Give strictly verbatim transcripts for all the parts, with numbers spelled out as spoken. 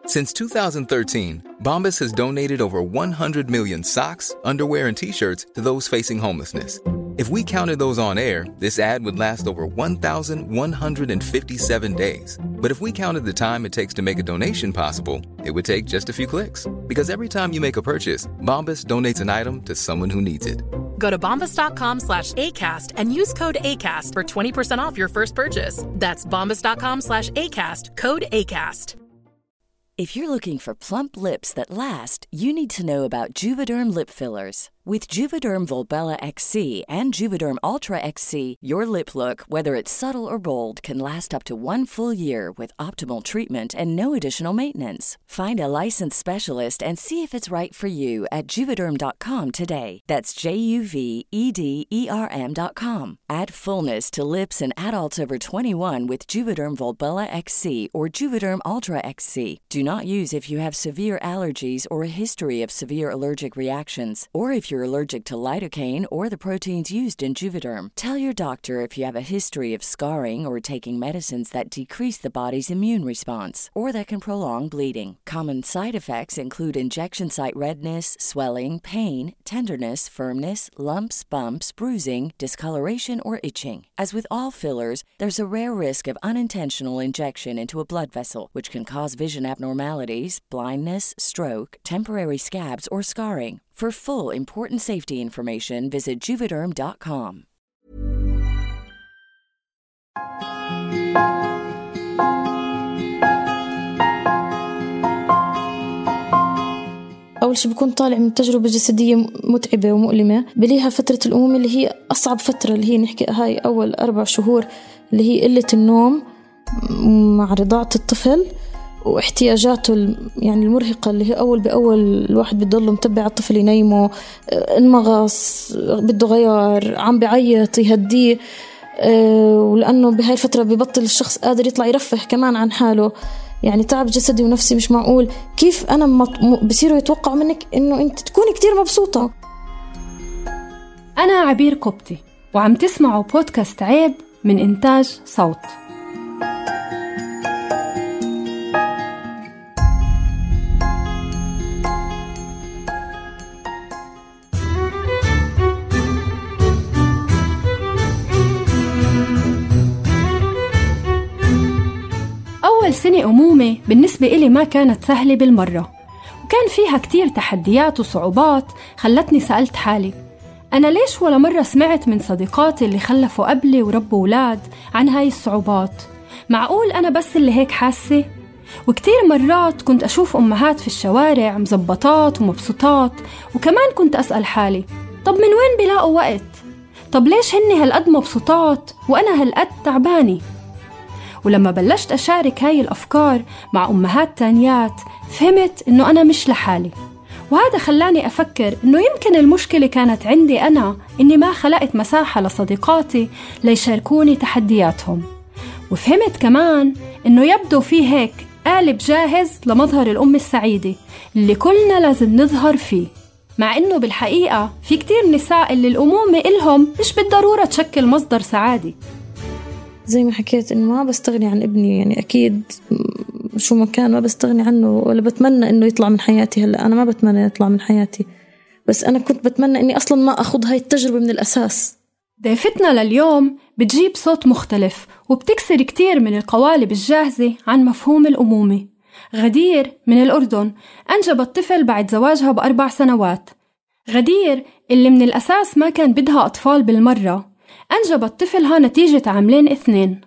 Since two thousand thirteen, Bombas has donated over one hundred million socks, underwear, and T-shirts to those facing homelessness. If we counted those on air, this ad would last over one thousand one hundred fifty-seven days. But if we counted the time it takes to make a donation possible, it would take just a few clicks. Because every time you make a purchase, Bombas donates an item to someone who needs it. Go to bombas.com slash ACAST and use code ACAST for twenty percent off your first purchase. That's bombas.com slash ACAST, code ACAST. If you're looking for plump lips that last, you need to know about Juvederm lip fillers. With Juvederm Volbella X C and Juvederm Ultra X C, your lip look, whether it's subtle or bold, can last up to one full year with optimal treatment and no additional maintenance. Find a licensed specialist and see if it's right for you at Juvederm dot com today. That's J U V E D E R M dot com. Add fullness to lips in adults over twenty-one with Juvederm Volbella X C or Juvederm Ultra X C. Do not use if you have severe allergies or a history of severe allergic reactions, or if you're allergic to lidocaine or the proteins used in Juvederm. Tell your doctor if you have a history of scarring or taking medicines that decrease the body's immune response or that can prolong bleeding. Common side effects include injection site redness, swelling, pain, tenderness, firmness, lumps, bumps, bruising, discoloration, or itching. As with all fillers, there's a rare risk of unintentional injection into a blood vessel, which can cause vision abnormalities, blindness, stroke, temporary scabs, or scarring. For full important safety information, visit Juvederm dot com. أول شي بكون طالع من تجربة جسدية متعبة ومؤلمة، بليها فترة الأمومة اللي هي أصعب فترة، اللي هي نحكي هاي أول أربع شهور اللي هي قلة النوم مع رضاعة الطفل واحتياجاته يعني المرهقة، اللي هي أول بأول الواحد بيضله متبع الطفل ينيمه، انمغص بده غير، عم بعيط يهديه، ولأنه بهاي الفترة ببطل الشخص قادر يطلع يرفه كمان عن حاله، يعني تعب جسدي ونفسي مش معقول. كيف أنا بصيروا يتوقعوا منك إنه أنت تكوني كتير مبسوطة. أنا عبير قبطي وعم تسمعوا بودكاست عيب من إنتاج صوت. أول سنة أمومة بالنسبة إلي ما كانت سهلة بالمرة، وكان فيها كتير تحديات وصعوبات خلتني سألت حالي أنا ليش ولا مرة سمعت من صديقاتي اللي خلفوا قبلي وربوا أولاد عن هاي الصعوبات؟ معقول أنا بس اللي هيك حاسة؟ وكتير مرات كنت أشوف أمهات في الشوارع مزبطات ومبسوطات، وكمان كنت أسأل حالي طب من وين بلاقوا وقت؟ طب ليش هني هالقد مبسوطات وأنا هالقد تعباني؟ ولما بلشت أشارك هاي الأفكار مع أمهات تانيات فهمت إنه أنا مش لحالي، وهذا خلاني أفكر إنه يمكن المشكلة كانت عندي أنا، إني ما خلقت مساحة لصديقاتي ليشاركوني تحدياتهم. وفهمت كمان إنه يبدو في هيك قالب جاهز لمظهر الأم السعيدة اللي كلنا لازم نظهر فيه، مع إنه بالحقيقة في كتير نساء اللي الأمومة إلهم مش بالضرورة تشكل مصدر سعادة. زي ما حكيت إنه ما بستغني عن ابني، يعني أكيد شو ما كان ما بستغني عنه ولا بتمنى إنه يطلع من حياتي. هلأ أنا ما بتمنى يطلع من حياتي، بس أنا كنت بتمنى إني أصلاً ما أخذ هاي التجربة من الأساس. ضيفتنا لليوم بتجيب صوت مختلف وبتكسر كتير من القوالب الجاهزة عن مفهوم الأمومة. غدير من الأردن أنجبت طفل بعد زواجها بأربع سنوات. غدير اللي من الأساس ما كان بدها أطفال بالمرة أنجبت طفلها نتيجة عاملين اثنين.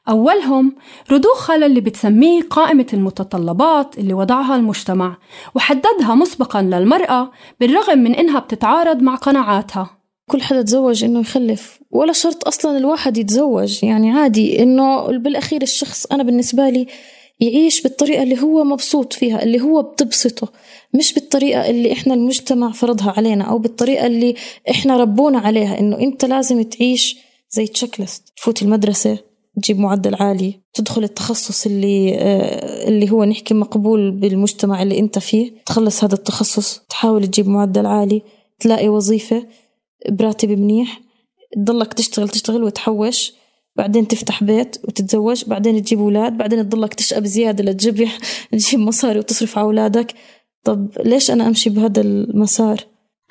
أولهم رضوخها للي بتسميه قائمة المتطلبات اللي وضعها المجتمع وحددها مسبقاً للمرأة بالرغم من إنها بتتعارض مع قناعاتها. كل حدا تزوج إنه يخلف، ولا شرط أصلاً الواحد يتزوج، يعني عادي إنه بالأخير الشخص أنا بالنسبة لي يعيش بالطريقة اللي هو مبسوط فيها، اللي هو بتبسطه، مش بالطريقة اللي إحنا المجتمع فرضها علينا أو بالطريقة اللي إحنا ربونا عليها، إنه أنت لازم تعيش زي تشيك ليست، تفوت المدرسة تجيب معدل عالي، تدخل التخصص اللي آه اللي هو نحكي مقبول بالمجتمع اللي أنت فيه، تخلص هذا التخصص، تحاول تجيب معدل عالي، تلاقي وظيفة براتب منيح، تضلك تشتغل تشتغل وتحوش بعدين تفتح بيت وتتزوج، بعدين تجيب أولاد، بعدين تضلك تشقى زيادة لتجيب تجيب مصاري وتصرف على أولادك. طب ليش أنا أمشي بهذا المسار؟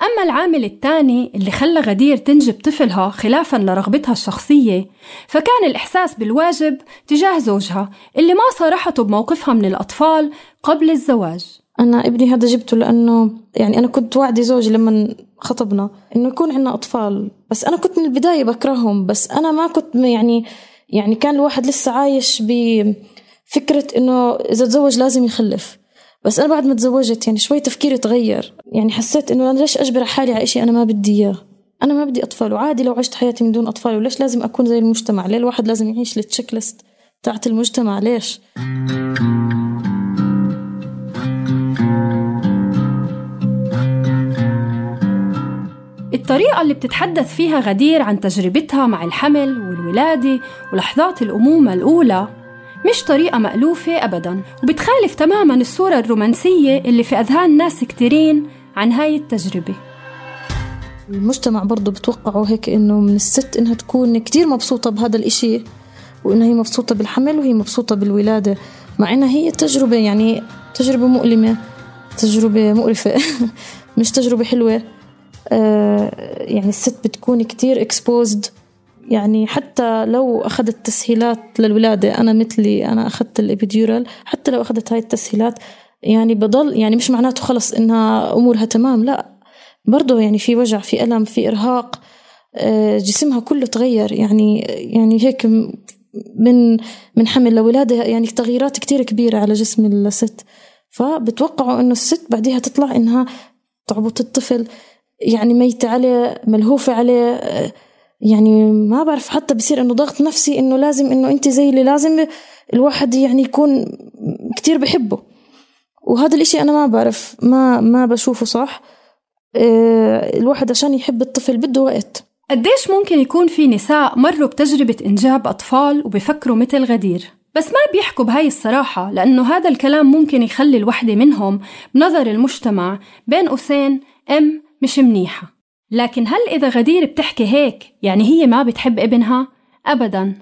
أما العامل الثاني اللي خلى غدير تنجب طفلها خلافاً لرغبتها الشخصية، فكان الإحساس بالواجب تجاه زوجها اللي ما صارحته بموقفها من الأطفال قبل الزواج. أنا ابني هذا جبته لأنه يعني أنا كنت وعدي زوجي لما خطبنا إنه يكون عنا أطفال، بس أنا كنت من البداية بكرههم، بس أنا ما كنت يعني يعني كان الواحد لسه عايش بفكرة إنه إذا تزوج لازم يخلف. بس أنا بعد ما تزوجت يعني شوي تفكيري تغير، يعني حسيت إنه أنا ليش أجبر حالي على إشي أنا ما بدي إياه؟ أنا ما بدي أطفال، وعادي لو عشت حياتي من دون أطفال، وليش لازم أكون زي المجتمع؟ ليه الواحد لازم يعيش للتشيك ليست تاعت المجتمع؟ ليش؟ الطريقة اللي بتتحدث فيها غدير عن تجربتها مع الحمل والولادة ولحظات الأمومة الأولى مش طريقة مألوفة أبداً، وبتخالف تماماً الصورة الرومانسية اللي في أذهان ناس كتيرين عن هاي التجربة. المجتمع برضو بتوقعوا هيك إنه من الست إنها تكون كتير مبسوطة بهذا الإشي، وإنها هي مبسوطة بالحمل وهي مبسوطة بالولادة، مع إنها هي تجربة يعني تجربة مؤلمة، تجربة مقرفة مش تجربة حلوة. آه يعني الست بتكون كتير exposed، يعني حتى لو أخذت تسهيلات للولادة، أنا مثلي أنا أخذت الإبيديورال، حتى لو أخذت هاي التسهيلات يعني بضل يعني مش معناته خلص إنها أمورها تمام، لا، برضو يعني في وجع، في ألم، في إرهاق، آه جسمها كله تغير، يعني يعني هيك من من حمل لولادة، يعني تغييرات كتير كبيرة على جسم الست. فبتوقعوا إنه الست بعديها تطلع إنها تعبط الطفل، يعني ميتة عليه، ملهوفة عليه، يعني ما بعرف، حتى بصير إنه ضغط نفسي إنه لازم إنه أنت زي اللي لازم الواحد يعني يكون كتير بحبه. وهذا الإشي أنا ما بعرف، ما ما بشوفه صح. إيه، الواحد عشان يحب الطفل بده وقت. قديش ممكن يكون في نساء مروا بتجربة إنجاب أطفال وبيفكروا مثل غدير، بس ما بيحكوا بهاي الصراحة، لأنه هذا الكلام ممكن يخلي الوحدة منهم بنظر المجتمع بين قوسين أم مش منيحة. لكن هل إذا غدير بتحكي هيك يعني هي ما بتحب ابنها؟ أبداً.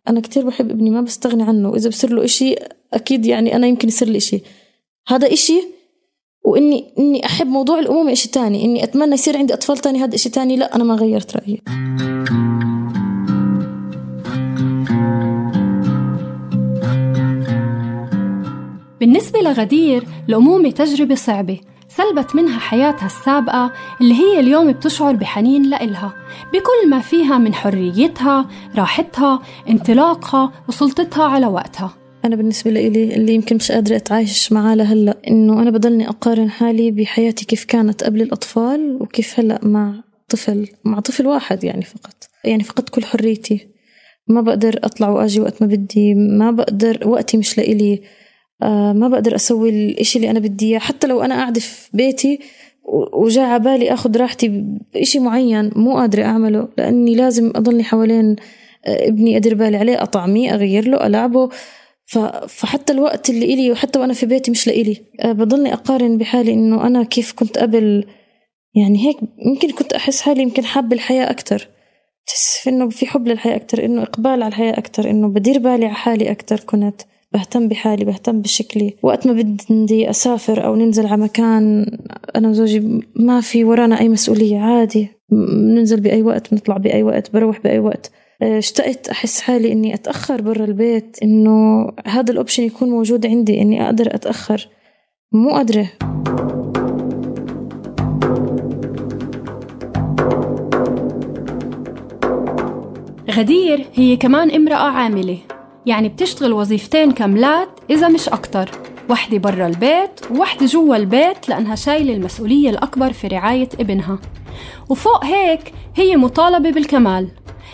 أنا كتير بحب ابني، ما بستغني عنه، إذا بصير له إشي أكيد يعني أنا يمكن يصير لي إشي، هذا إشي، وإني إني أحب موضوع الأمومة إشي تاني، إني أتمنى يصير عندي أطفال تاني هذا إشي تاني. لا، أنا ما غيرت رأيي. بالنسبة لغدير الأمومة تجربة صعبة سلبت منها حياتها السابقة اللي هي اليوم بتشعر بحنين لإلها بكل ما فيها من حريتها، راحتها، انطلاقها وسلطتها على وقتها. أنا بالنسبة لي اللي يمكن مش قادرة أتعايش معاه لهلأ إنه أنا بضلني أقارن حالي بحياتي كيف كانت قبل الأطفال وكيف هلأ مع طفل مع طفل واحد، يعني فقط يعني فقط كل حريتي، ما بقدر أطلع وأجي وقت ما بدي، ما بقدر، وقتي مش لإلي، آه ما بقدر أسوي الإشي اللي أنا بدي إياه. حتى لو أنا قاعدة في بيتي وجاء عبالي أخذ راحتي بإشي معين مو قادرة أعمله، لأني لازم أضلني حوالين ابني، أدير بالي عليه، أطعميه، أغير له، ألعبه. فحتى الوقت اللي إلي وحتى وأنا في بيتي مش لإلي. آه بضلني أقارن بحالي إنه أنا كيف كنت قبل، يعني هيك يمكن كنت أحس حالي يمكن حاب الحياة أكتر، تحس إنه في حب للحياة أكتر، إنه إقبال على الحياة أكتر، إنه بدير بالي على حالي أكتر، كنت بهتم بحالي، بهتم بشكلي. وقت ما بدي أسافر أو ننزل على مكان أنا وزوجي ما في ورانا أي مسؤولية، عادي ننزل بأي وقت، نطلع بأي وقت، بروح بأي وقت. اشتقت أحس حالي إني أتأخر برا البيت، إنه هذا الأوبشن يكون موجود عندي، إني أقدر أتأخر، مو قادرة. غدير هي كمان امرأة عاملة، يعني بتشتغل وظيفتين كاملات إذا مش أكتر، واحدة برا البيت وواحدة جوا البيت، لأنها شايلة المسؤولية الأكبر في رعاية ابنها. وفوق هيك هي مطالبة بالكمال،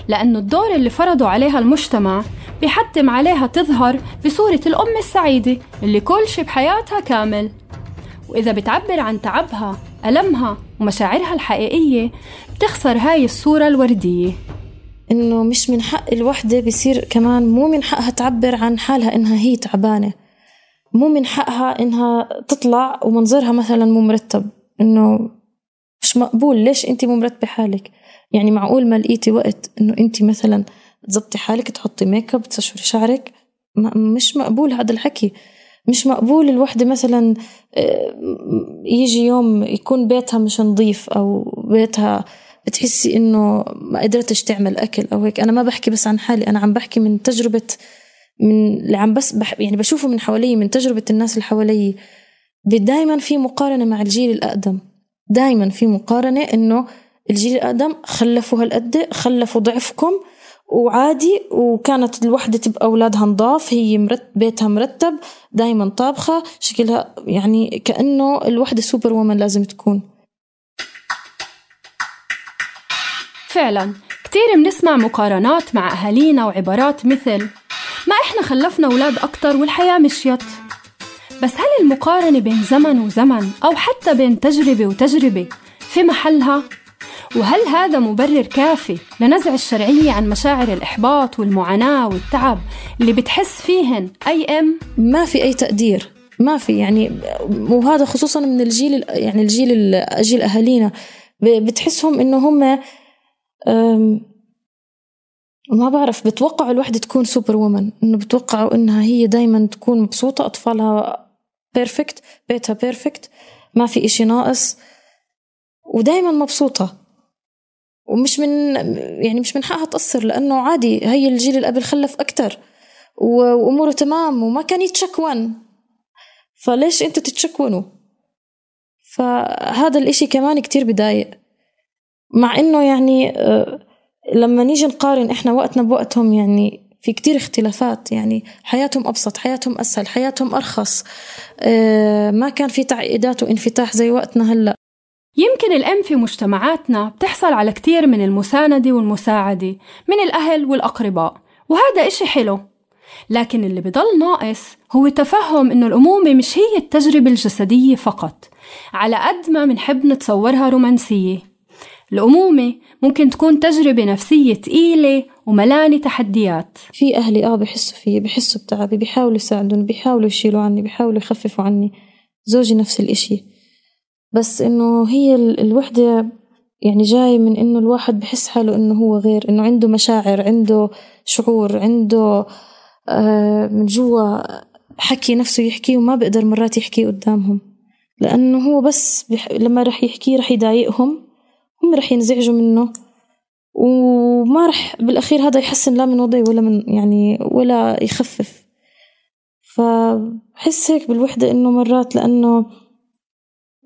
لأنه الدور اللي فرضوا عليها المجتمع بيحتم عليها تظهر بصورة الأم السعيدة اللي كل شي بحياتها كامل. وإذا بتعبر عن تعبها، ألمها ومشاعرها الحقيقية، بتخسر هاي الصورة الوردية. إنه مش من حق الوحدة بيصير كمان مو من حقها تعبر عن حالها إنها هي تعبانة، مو من حقها إنها تطلع ومنظرها مثلا مو مرتب، إنه مش مقبول. ليش أنتي مو مرتبة حالك؟ يعني معقول ما لقيتي وقت إنه أنتي مثلا تزبطي حالك، تحطي ميك اب، تسشوري شعرك. مش مقبول هذا الحكي. مش مقبول الوحدة مثلا يجي يوم يكون بيتها مش نظيف أو بيتها بتحسي إنه ما قدرتش تعمل أكل أو هيك. أنا ما بحكي بس عن حالي، أنا عم بحكي من تجربة، من اللي عم بس بح يعني بشوفه من حوالي، من تجربة الناس اللي حوالي. دايما في مقارنة مع الجيل الأقدم، دايما في مقارنة إنه الجيل الأقدم خلفوا هالقد، خلفوا ضعفكم وعادي، وكانت الوحدة تبقى أولادها نضاف، هي مرت بيتها مرتب، دايما طابخة، شكلها يعني كأنه الوحدة سوبر وومن لازم تكون. فعلا كتير بنسمع مقارنات مع أهالينا وعبارات مثل ما إحنا خلفنا أولاد أكتر والحياة مشيت. بس هل المقارنة بين زمن وزمن أو حتى بين تجربة وتجربة في محلها؟ وهل هذا مبرر كافي لنزع الشرعية عن مشاعر الإحباط والمعاناة والتعب اللي بتحس فيهن أي أم؟ ما في أي تقدير، ما في يعني. وهذا خصوصا من الجيل، يعني الجيل الجيل أهالينا بتحسهم إنه هم ما بعرف، بتوقعوا الوحدة تكون سوبر وومن، إنه بتوقعوا إنها هي دايما تكون مبسوطة، أطفالها بيرفكت، بيتها بيرفكت، ما في إشي ناقص، ودايما مبسوطة. ومش من يعني مش من حقها تقصر، لأنه عادي، هي الجيل اللي قبل خلف أكتر وأموره تمام وما كان يتشكون، فليش أنتوا تتشكونوا؟ فهذا الإشي كمان كتير بدايق. مع إنه يعني لما نيجي نقارن إحنا وقتنا بوقتهم، يعني في كتير اختلافات، يعني حياتهم أبسط، حياتهم أسهل، حياتهم أرخص، ما كان في تعقيدات وانفتاح زي وقتنا هلأ. يمكن الأم في مجتمعاتنا بتحصل على كتير من المساندة والمساعدة من الأهل والأقرباء، وهذا إشي حلو. لكن اللي بضل ناقص هو تفهم إنه الأمومة مش هي التجربة الجسدية فقط على قد ما منحب نتصورها رومانسية. الأمومة ممكن تكون تجربة نفسية تقيلة وملانة تحديات. في أهلي آه بيحسوا فيه، بيحسوا بتعبي، بيحاولوا يساعدوني، بيحاولوا يشيلوا عني، بيحاولوا يخففوا عني. زوجي نفس الإشي، بس إنه هي الوحدة يعني جاي من إنه الواحد بحس حاله إنه هو غير، إنه عنده مشاعر، عنده شعور، عنده آه من جوا حكي نفسه يحكيه وما بقدر مرات يحكيه قدامهم، لأنه هو بس بح... لما رح يحكيه رح يضايقهم، هم رح ينزعجوا منه، وما رح بالأخير هذا يحسن لا من وضعي ولا من يعني ولا يخفف. فحس هيك بالوحدة إنه مرات، لأنه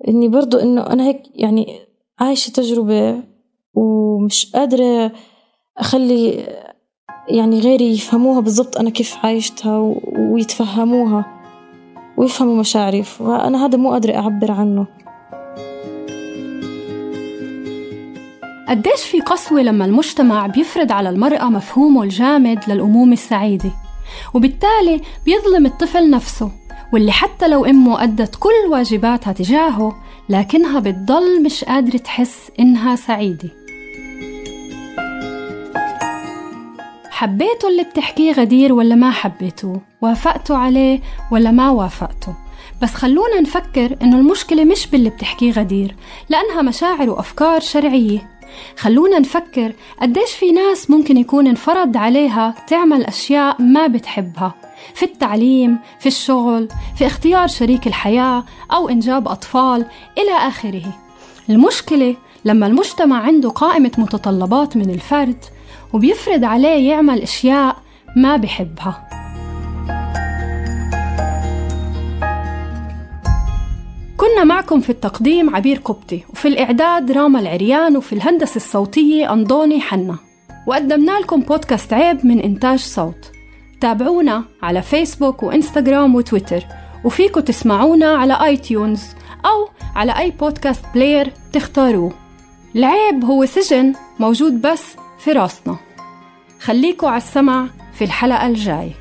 إني برضو إنه أنا هيك يعني عايشة تجربة ومش قادرة أخلي يعني غيري يفهموها بالضبط أنا كيف عايشتها ويتفهموها ويفهموا مشاعري، فأنا هذا مو قادرة أعبر عنه. قديش في قسوة لما المجتمع بيفرض على المرأة مفهومه الجامد للأمومة السعيدة، وبالتالي بيظلم الطفل نفسه، واللي حتى لو أمه أدت كل واجباتها تجاهه لكنها بتضل مش قادرة تحس إنها سعيدة. حبيته اللي بتحكيه غدير ولا ما حبيته؟ وافقتوا عليه ولا ما وافقتوا؟ بس خلونا نفكر إنه المشكلة مش باللي بتحكيه غدير، لأنها مشاعر وأفكار شرعية. خلونا نفكر قديش في ناس ممكن يكون انفرض عليها تعمل أشياء ما بتحبها، في التعليم، في الشغل، في اختيار شريك الحياة أو إنجاب أطفال إلى آخره. المشكلة لما المجتمع عنده قائمة متطلبات من الفرد وبيفرض عليه يعمل أشياء ما بحبها. كنا معكم في التقديم عبير قبطي، وفي الإعداد راما العريان، وفي الهندسة الصوتية أنضوني حنا، وقدمنا لكم بودكاست عيب من إنتاج صوت. تابعونا على فيسبوك وإنستغرام وتويتر، وفيكم تسمعونا على آي تيونز أو على أي بودكاست بلاير تختاروه. العيب هو سجن موجود بس في راسنا. خليكوا على السمع في الحلقة الجاي.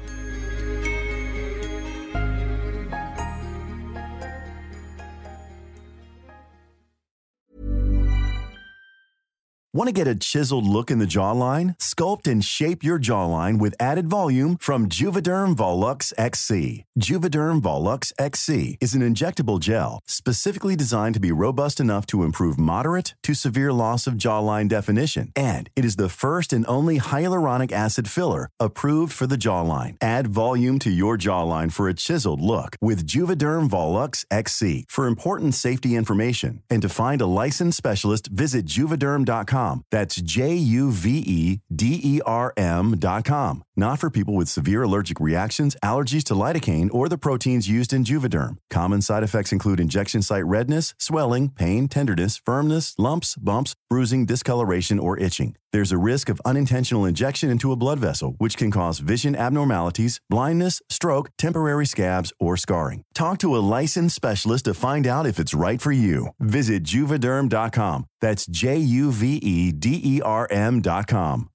Want to get a chiseled look in the jawline? Sculpt and shape your jawline with added volume from Juvederm Volux X C. Juvederm Volux X C is an injectable gel specifically designed to be robust enough to improve moderate to severe loss of jawline definition. And it is the first and only hyaluronic acid filler approved for the jawline. Add volume to your jawline for a chiseled look with Juvederm Volux X C. For important safety information and to find a licensed specialist, visit juvederm dot com. That's J U V E D E R M dot com. Not for people with severe allergic reactions, allergies to lidocaine, or the proteins used in Juvederm. Common side effects include injection site redness, swelling, pain, tenderness, firmness, lumps, bumps, bruising, discoloration, or itching. There's a risk of unintentional injection into a blood vessel, which can cause vision abnormalities, blindness, stroke, temporary scabs, or scarring. Talk to a licensed specialist to find out if it's right for you. Visit juvederm dot com. That's J U V E D E R M dot com.